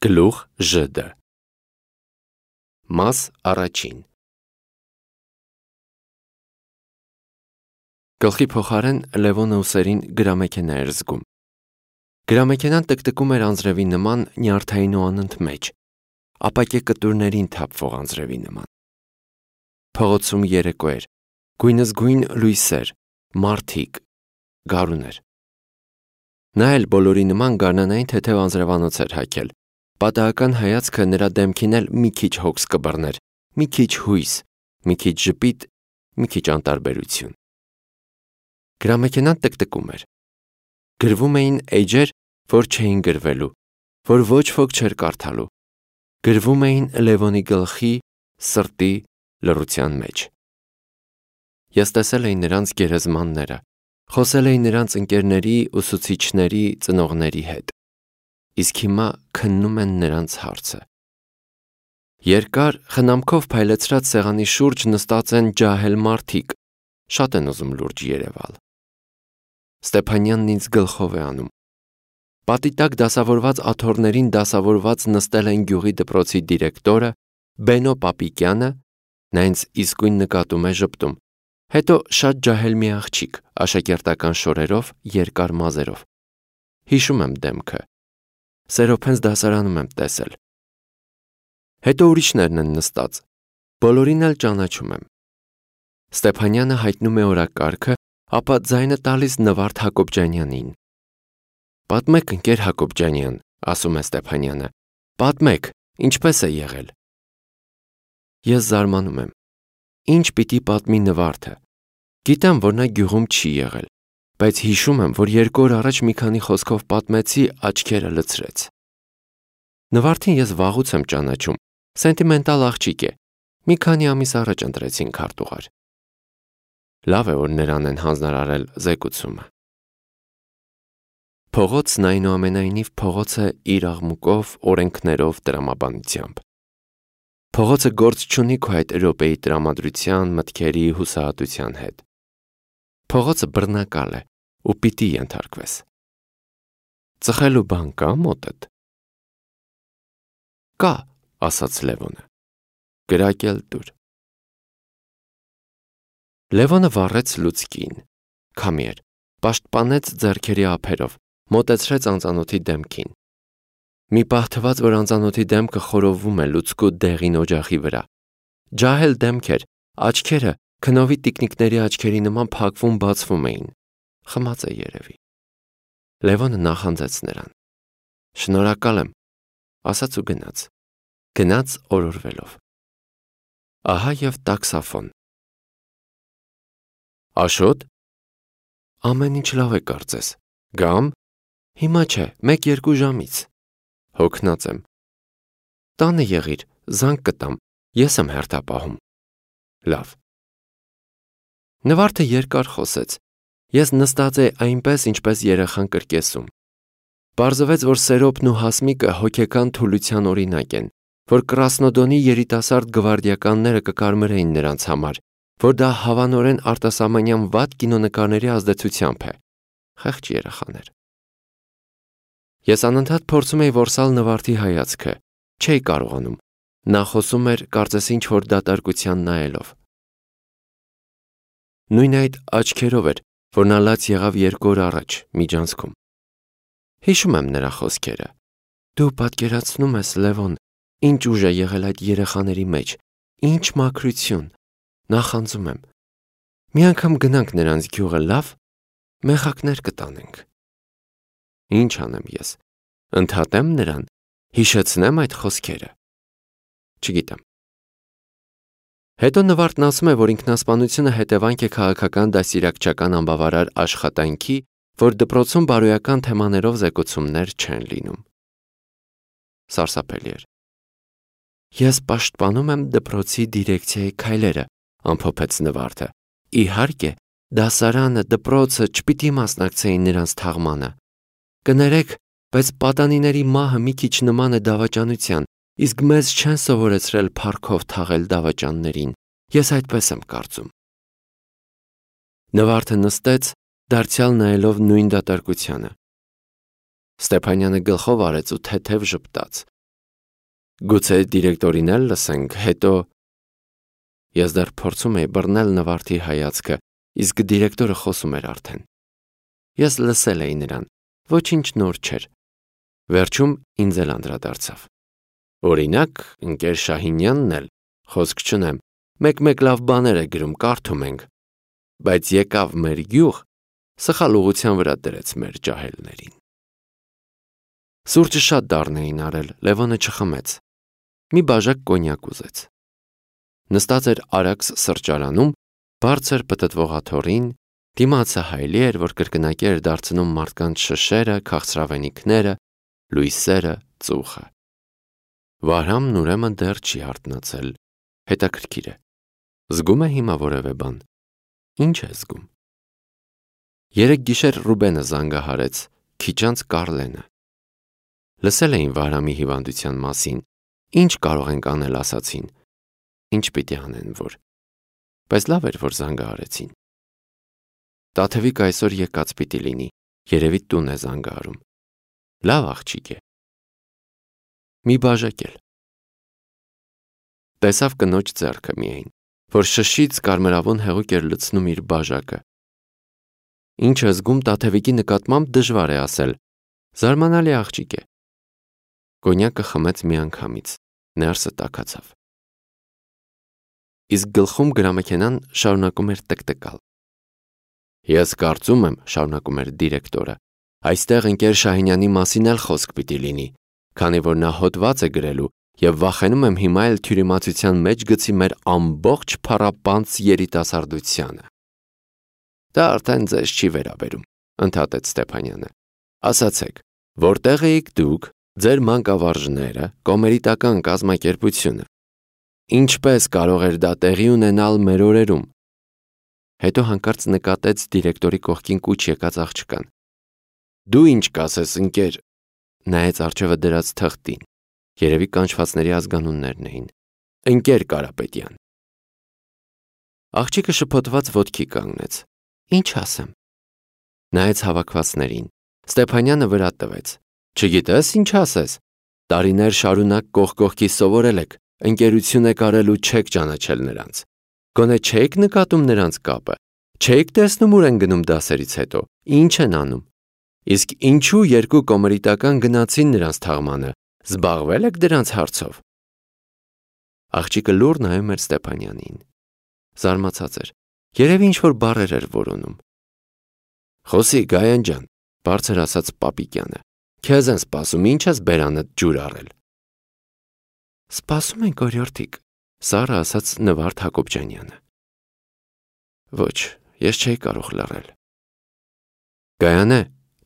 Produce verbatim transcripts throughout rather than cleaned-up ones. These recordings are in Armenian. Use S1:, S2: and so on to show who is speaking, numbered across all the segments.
S1: Գլուխ Ž-ը Մաս առաջին Գլխի փոխարեն Լևոնը ուսերին գրամեքենա էր զգում։ Գրամեքենան տկտկում էր անձրևի նման նյարդային ու անընդմեջ, ապակե կտուրներին թափվող անձրևի նման։ Փողոցում երեկո էր, գույնզգույն լույսեր, մարդիկ, գարուներ։ Նա էլ բոլորի նման գարնանային թեթև անձրևանոց էր հագել։ Պատահական հայացքը նրա դեմքին էլ մի քիչ հոգս կբռներ, մի քիչ հույս, մի քիչ ժպիտ, մի քիչ անտարբերություն։ Գրամեքենան տկտկում էր։ Գրվում էին էջեր, որ չէին գրվելու, որ ոչ ոք չէր կարդալու։ Գրվում էին Լևոնի գլխի, սրտի, լռության մեջ։ Ես տեսել էի նրանց գերեզմանները, խոսել էի նրանց ընկերների, ուսուցիչների, ծնողների հետ։ Իսկ հիմա քննում են նրանց հարցը։ Երկար, խնամքով փայլեցրած սեղանի շուրջ նստած են ջահել մարդիկ, շատ են ուզում լուրջ երևալ։ Ստեփանյանն ինձ գլխով է անում։ Պատի տակ դասավորված աթոռներին դասավորված նստել են գյուղի դպրոցի դիրեկտորը, Բենո Պապիկյանը, նա ինձ իսկույն նկատում է ժպտում, հետո շատ ջահել մի աղջիկ, աշակերտական շորերով, երկար մազերով։ Հիշում եմ դեմքը։ Սերոփենց դասարանում եմ տեսել։ Հետո ուրիշներն են նստած, բոլորին էլ ճանաչում եմ։ Ստեփանյանը հայտնում է օրակարգը, ապա ձայնը տալիս Նվարդ Հակոբյանյանին։ Պատմեք, ընկեր Հակոբյանյան, ասում է Ստեփանյանը, պատմեք, ինչպես է եղել։ Ես զարմանում եմ։ Ինչ պիտի պատմի Նվարդը։ Գիտեմ, որ նա գյուղում չի եղել, բայց հիշում եմ, որ երկու օր առաջ մի քանի խոսքով պատմեցի, աչքերը լցրեց։ Նվարդին ես վաղուց եմ ճանաչում, սենտիմենտալ աղջիկ է, մի քանի ամիս առաջ ընտրեցին քարտուղար։ Լավ է, որ նրան են հանձնարարել զեկուցումը։ Փողոցն այնուամենայնիվ փողոց է իր աղմուկով, օրենքներով, տրամաբանությամբ։ Փողոցը գործ չունի քո այդ րոպեի տրամադրության, մտքերի, հուսահատության հետ։ Փողոցը բռնակալ է ու պիտի ենթարկվես։ Ծխելու բան կա մոտդ։ Կա, ասաց Լևոնը։ Գրակել տուր։ Լևոնը վառեց լուցկին, քամի էր, պաշտպանեց ձեռքերի ափերով, մոտեցրեց անծանոթի դեմքին։ Մի պահ թվաց, որ անծանոթի դեմքը խորովում է լուցկու դեղին օջախի վրա։ Ջահել դեմք էր, աչքերը քնովի տիկնիկների աչքերի նման փակվում բացվում էին։ Խմած է երևի։ Լևոնը նախանձեց նրան։ Շնորհակալ եմ, ասաց ու գնաց։ Գնաց օրորվելով։ Ահա և տաքսաֆոն։ Աշոտ։ Ամեն ինչ լավ է կարծես։ Գամ։ Հիմա չէ, մեկ-երկու ժամից։ Հոգնած եմ։ Տանը եղիր, զանգ կտամ, ես եմ հերթապահում։ Լավ։ Նվարդը երկար խոսեց։ Ես նստած էի այնպես, ինչպես երեխան կրկեսում։ Պարզվեց, որ Սերոբն ու Հասմիկը հոգեկան թուլության օրինակ են, որ Կրասնոդոնի երիտասարդ գվարդիականները կկարմրեին նրանց համար, որ դա հավանորեն արտասահմանյան վատ կինոնկարների ազդեցությամբ է։ Խեղճ երեխաներ։ Ես անընդհատ փորձում էի որսալ Նվարդի հայացքը, չէի կարողանում։ Նա խոսում էր, կարծես ինչ-որ դատարկության նայելով։ Նույն այդ աչքերով էր, որ նա լաց եղավ երկու օր առաջ, միջանցքում։ Հիշում եմ նրա խոսքերը։ Դու պատկերացնում ես, Լևոն, ինչ ուժ է եղել այդ երեխաների մեջ, ինչ մաքրություն, նախանձում եմ։ Մի անգամ գնանք նրանց գյուղը, լավ, մեխակներ կտանենք։ Ինչ անեմ ես, ընդհատեմ նրան, հիշեցնեմ այդ խոսքերը։ Չգիտեմ։ Հետո Նվարդն ասում է, որ ինքնասպանությունը հետևանք է քաղաքական դաստիարակչական անբավարար աշխատանքի, որ դպրոցում բարոյական թեմաներով զեկուցումներ չեն լինում։ Սարսափելի էր։ Ես պաշտպանում եմ դպրոցի դիրեկցիայի քայլերը, ամփոփեց Նվարդը։ Իհարկե, դասարանը, դպրոցը չպիտի մասնակցեին նրանց թաղմանը։ Կներեք, բայց պատանիների մահը մի քիչ նման է դավաճանության, իսկ մեզ չեն սովորեցրել փառքով թաղել դավաճաններին, ես այդպես եմ կարծում։ Նվարդը նստեց, դարձյալ նայելով նույն դատարկությանը։ Ստեփանյանը գլխով արեց ու թեթև ժպտաց։ Գուցե դիրեկտորին էլ լսենք, հետո… Ես դեռ փորձում էի բռնել Նվարդի հայացքը, իսկ դիրեկտորը խոսում էր արդեն։ Ես լսել էի նրան, ոչինչ նոր չէր։ Վերջում ինձ էլ անդրադարձավ։ Օրինակ, ընկեր Շահինյանն էլ, խոսք չունեմ, մեկ-մեկ լավ բաներ է գրում, կարդում ենք, բայց եկավ մեր գյուղ, սխալ ուղղության վրա դրեց մեր ջահելներին։ Սուրճը շատ դառն էին արել, Լևոնը չխմեց։ Մի բաժակ կոնյակ ուզեց։ Նստած էր Արաքս սրճարանում, բարձր պտտվող աթոռին, դիմացը հայելի էր, որ կրկնակի էր դարձնում մարդկանց շշերը, քաղցրավենիքները, լույսերը, ծուխը։ Վահրամն ուրեմն դեռ չի հարթնացել, հետաքրքիր է։ Զգում է հիմա որևէ բան։ Ինչ է զգում։ Երեկ գիշեր Ռուբենը զանգահարեց, քիչ անց Կարլենը։ Լսել էին Վահրամի հիվանդության մասին, ինչ կարող ենք անել ասացին, ինչ պիտի անեն որ, բայց լավ էր, որ զանգահարեցին։ Տաթևիկ այսօր եկած պիտի լինի, երևի տուն է զանգահարում։ Լավ աղջիկ է։ Մի բաժակ էլ։ Տեսավ կնոջ ձեռքը միայն, որ շշից կարմրավուն հեղուկ էր լցնում իր բաժակը։ Ինչ է զգում Տաթևիկի նկատմամբ դժվար է ասել, զարմանալի աղջիկ է։ Կոնյակը խմեց միանգամից, ներսը տաքացավ։ Իսկ գլխում գրամեքենան շարունակում էր տկտկալ։ Ես կարծում եմ, շարունակում էր դիրեկտորը, այստեղ ընկեր Շահինյանի մասին էլ խոսք պիտի լինի, քանի որ նա հոդված է գրելու և վախենում եմ հիմա էլ թյուրիմացության մեջ գցի մեր ամբողջ փառապանծ երիտասարդությանը։ Դա արդեն ձեզ չի վերաբերում, ընդհատեց Ստեփանյանը։ Ասացեք, որտեղ էիք դուք, ձեր մանկավարժները, կոմերիտական կազմակերպությունը։ Ինչպես կարող էր դա տեղի ունենալ մեր օրերում։ Հետո հանկարծ նկատեց դիրեկտորի կողքին կուչ եկած աղջկան։ Դու ինչ կասես, ընկեր, նայեց առջևը դրած թղթին, երևի կանչվածների ազգանուններն էին, ընկեր Կարապետյան։ Աղջիկը շփոթված ոտքի կանգնեց։ Ինչ ասեմ։ Նայեց հավաքվածներին, Ստեփանյանը վրա տվեց։ Չգիտես ինչ ասես։ Տարիներ շարունակ կողք կողքի սովորել եք, ընկերություն եք արել ու չեք ճանաչել նրանց։ Գոնե չեք նկատում նրանց կապը, չեք տեսնում ուր են գնում դասերից հետո, ինչ են անում։ Իսկ ինչու երկու կոմերիտական գնացին նրանց թաղմանը, զբաղվել եք դրանց հարցով։ Աղջիկը լուռ նայում էր Ստեփանյանին։ Զարմացած էր, երևի ինչ-որ բառեր էր որոնում։ Խոսի Գայան ջան, բարձր ասաց Պապիկյանը, քեզ են սպասում, ինչ ես բերանդ ջուր առել։ Սպասում ենք օրիորդիկ, սառը ասաց Նվարդ Հակոբյանյանը։ Ոչ, ես չէի կարող լռել։ Գայանե,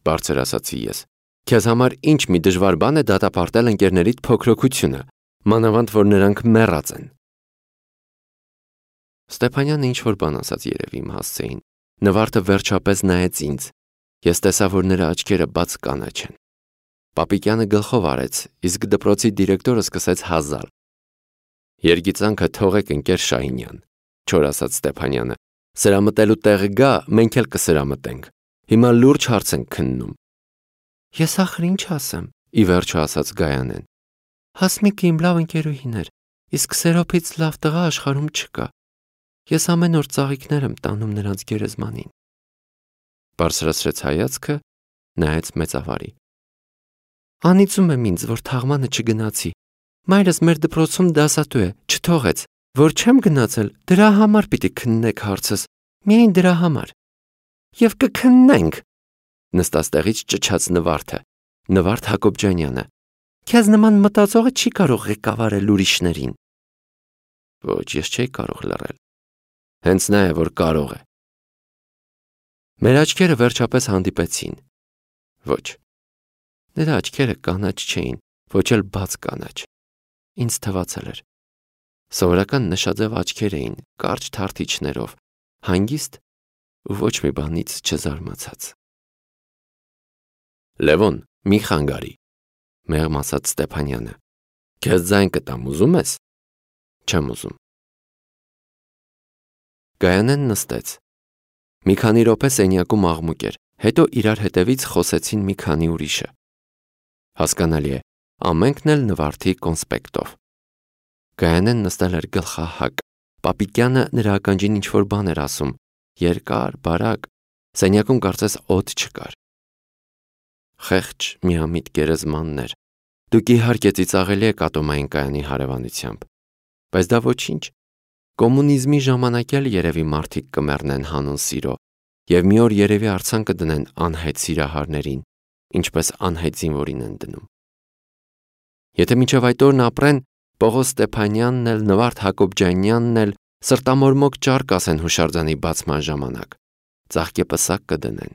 S1: բարձր ասացի ես, քեզ համար ինչ մի դժվար բան է դատապարտել ընկերներիդ փոքրոքությունը, մանավանդ որ նրանք մեռած են։ Ստեփանյանը ինչ-որ բան ասաց երևի իմ հասցեին։ Նվարդը վերջապես նայեց ինձ։ Ես տեսա, որ նրա աչքերը բաց կանաչ են։ Պապիկյանը գլխով արեց, իսկ դպրոցի դիրեկտորը սկսեց հազալ։ Երգիծանքը թողեք ընկեր Շահինյան, չոր ասաց Ստեփանյանը։ Սրամտելու տեղը գա, մենք էլ կսրամտենք։ Հիմա լուրջ հարց ենք քննում։ Ես ախր ինչ ասեմ, ի վերջո ասաց Գայանեն։ Հասմիկը իմ լավ ընկերուհին էր, իսկ Սերոփից լավ տղա աշխարհում չկա։ Ես ամեն օր ծաղիկներ եմ տանում նրանց գերեզմանին։ Բարձրացրեց հայացքը, նայեց մեծավարի։ Անիծում եմ ինձ, որ թաղմանը չգնացի։ Մայրս մեր դպրոցում դասատու է, չթողեց, որ չեմ գնացել, դրա համար պիտի քննեք հարցս, միայն դրա համար։ Եվ կքննենք, նստած տեղից ճչաց Նվարդը, Նվարդ Հակոբյանյանը։ Քեզ նման մտածողը չի կարող ղեկավարել ուրիշներին։ Ոչ, ես չէի կարող լռել։ Հենց նա է, որ կարող է։ Մեր աչքերը վերջապես հանդիպեցին։ Ոչ։ Նրա աչքերը կանաչ չէին, ոչ էլ բաց կանաչ։ Ինձ թվացել էր։ Սովորական նշաձև աչքեր էին, կարճ թարթիչներով, հանգիստ ու ոչ մի բանից չզարմացած։ Լևոն, մի խանգարի, մեղմ ասաց Ստեփանյանը։ Քեզ ձայն կտամ, ուզում ես։ Չեմ ուզում։ Գայանեն նստեց։ Մի քանի րոպե սենյակում աղմուկ էր, հետո իրար հետևից խոսեցին մի քանի ուրիշը։ Հասկանալի է, ամենքն էլ նվարդի կոնսպեկտով։ Գայանեն նստել էր գլխահակ, Պապիկյանը նրա ականջին ինչ-որ բան էր ասում, երկար, բարակ, սենյակում կարծես օդ չկար։ Խեղճ միամիտ գերեզմաններ, դուք իհարկե ծիծաղելի եք Ատոմային կայանի հարևանությամբ, բայց դա ոչինչ, կոմունիզմի ժամանակ էլ երևի մարդիկ կմեռնեն հանուն սիրո, և մի օր երևի արձան կդնեն անհետ սիրահարներին, ինչպես անհետ զինվորին են դնում։ Եթե մինչև այդ օրն ապրեն, Պողոս Ստեփանյանն էլ, Նվարդ Հակոբյանյանն էլ սրտամորմոք ճառ կասեն հուշարձանի բացման ժամանակ, ծաղկեպսակ կդնեն։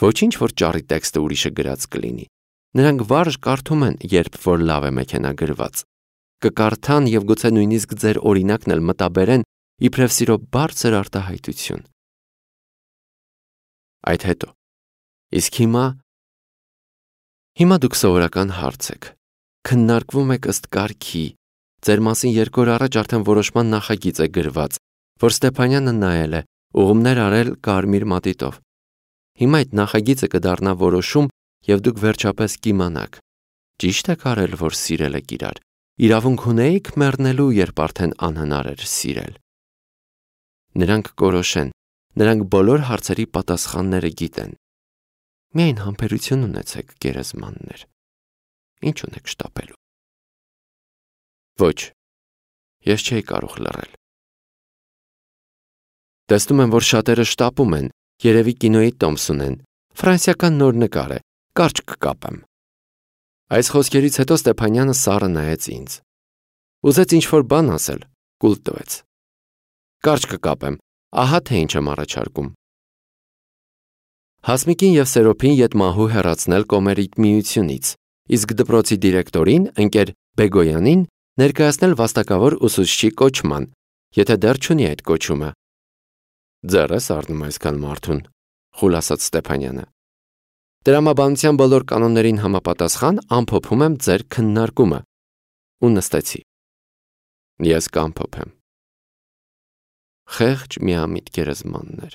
S1: Ոչինչ, որ ճառի տեքստը ուրիշը գրած կլինի, նրանք վարժ կարդում են, երբ որ լավ է մեքենա գրված, կկարդան և գուցե նույնիսկ ձեր օրինակն էլ մտաբերեն իբրև սիրո բարձր արտահայտություն։ Այդ հետո, իսկ հիմա, հիմա դուք սովորական հարց եք, քննարկվում եք ըստ կարգի, ձեր մասին երկու օր առաջ արդեն որոշման նախագիծ է գրված, որ Ստեփանյանը նայել է, ուղումներ արել կարմիր մատիտով։ Հիմա այդ նախագիծը կդառնա որոշում և դուք վերջապես կիմանաք, ճիշտ եք արել, որ սիրել եք իրար, իրավունք ունեիք մեռնելու, երբ արդեն անհնար էր սիրել։ Նրանք կորոշեն, նրանք բոլոր հարցերի պատասխանները գիտեն։ Միայն համբերություն ունեցեք, գերեզմաններ, ինչ ունեք շտապելու։ Ոչ, ես չէի կարող լռել։ Տեսնում եմ, որ շատերը շտապում են, երևի կինոյի տոմս ունեն, ֆրանսիական նոր նկար է, կարճ կկապեմ։ Այս խոսքերից հետո Ստեփանյանը սառը նայեց ինձ։ Ուզեց ինչ-որ բան ասել, կուլ տվեց։ Կարճ կկապեմ, ահա թե ինչ եմ առաջարկում։ Հասմիկին և Սերոփին ետմահու հեռացնել Կոմերիտ միությունից, իսկ դպրոցի դիրեկտորին, ընկեր Բեգոյանին, ներկայացնել վաստակավոր ուսուցչի կոչման, եթե դեռ չունի այդ կոչումը։ Ձեռ ես առնում այսքան մարդուն, խուլ ասաց Ստեփանյանը։ Տրամաբանության բոլոր կանոններին համապատասխան ամփոփում եմ ձեր քննարկումը։ Ու նստեցի։ Ես կամփոփեմ։ Խեղճ միամիտ գերեզմաններ,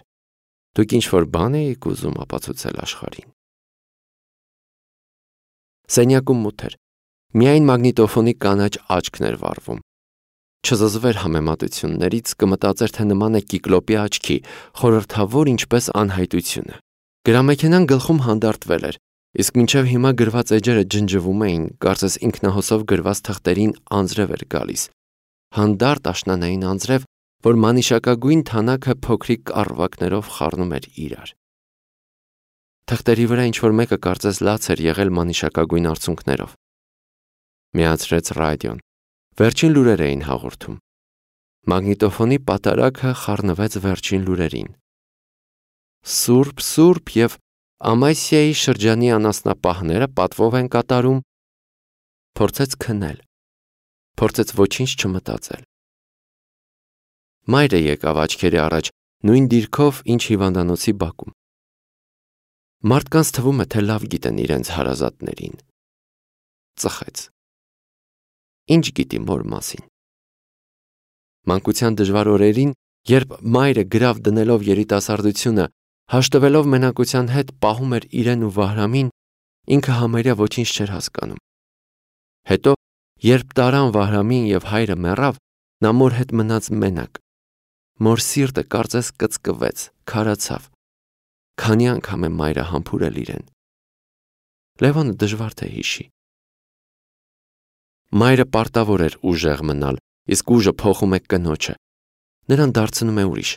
S1: դուք ինչ-որ բան էիք ուզում ապացուցել աշխարհին։ Սենյակում մութ էր, միայն մագնիտոֆոնի կանաչ աչքն էր վառվում։ Չզզվեր համեմատություններից, կմտածեր, թե նման է կիկլոպի աչքի, խորհրդավոր ինչպես անհայտությունը։ Գրամեքենան գլխում հանդարտվել էր, իսկ մինչև հիմա գրված էջերը ջնջվում էին, կարծես ինքնահոսով գրված թղթերին անձրև էր գալիս։ Հանդարտ աշնանային անձրև, որ մանիշակագույն թանաքը փոքրիկ կառվակներով խառնում էր իրար։ Թղթերի վրա ինչ-որ մեկը կարծես լաց էր եղել մանիշակագույն արցունքներով։ Միացրեց ռադիոն։ Վերջին լուրեր էին հաղորդում։ Մագնիտոֆոնի պատարագը խառնվեց վերջին լուրերին։ Սուրբ, սուրբ և Ամասիայի շրջանի անասնապահները պատվով են կատարում։ Փորձեց քնել։ Փորձեց ոչինչ չմտածել։ Մայրը եկավ աչքերի առաջ, նույն դիրքով, ինչ հիվանդանոցի բակում։ Մարդկանց թվում է, թե լավ գիտեն իրենց հարազատներին։ Ծխեց։ Ինչ գիտի մոր մասին։ Մանկության դժվար օրերին, երբ մայրը գրավ դնելով երիտասարդությունը, հաշտվելով մենակության հետ պահում էր իրեն ու Վահրամին, ինքը համարյա ոչինչ չէր հասկանում։ Հետո, երբ տարան Վահրամին և հայրը մեռավ, նա մոր հետ մնաց մենակ։ Մոր սիրտը կարծես կծկվեց, քարացավ։ Քանի անգամ է մայրը համբուրել իրեն։ Լևոնը դժվար թե հիշի։ Մայրը պարտավոր էր ուժեղ մնալ, իսկ ուժը փոխում է կնոջը։ Նրան դարձնում է ուրիշ։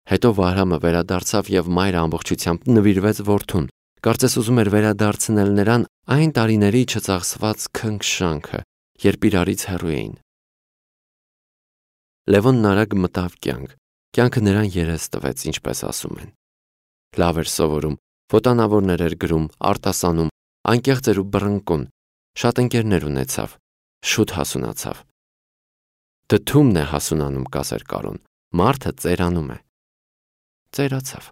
S1: Հետո Վահրամը վերադարձավ և մայրը ամբողջությամբ նվիրվեց որդուն, կարծես ուզում էր վերադարձնել նրան այն տարիների չծախսված քնքշանքը, երբ իրարից հեռու էին։ Լևոնն արագ մտավ կյանք, կյանքը նրան երես տվեց, ինչպես ասում են։ Լավ էր սովորում, ոտանավորներ էր գրում, արտասանում, անկեղծ էր ու բռնկուն, շատ ընկերներ ունեցավ, շուտ հասունացավ։ Դդումն է հասունանում, կասեր Կարոն, մարդը ծերանում է։ Ծերացավ։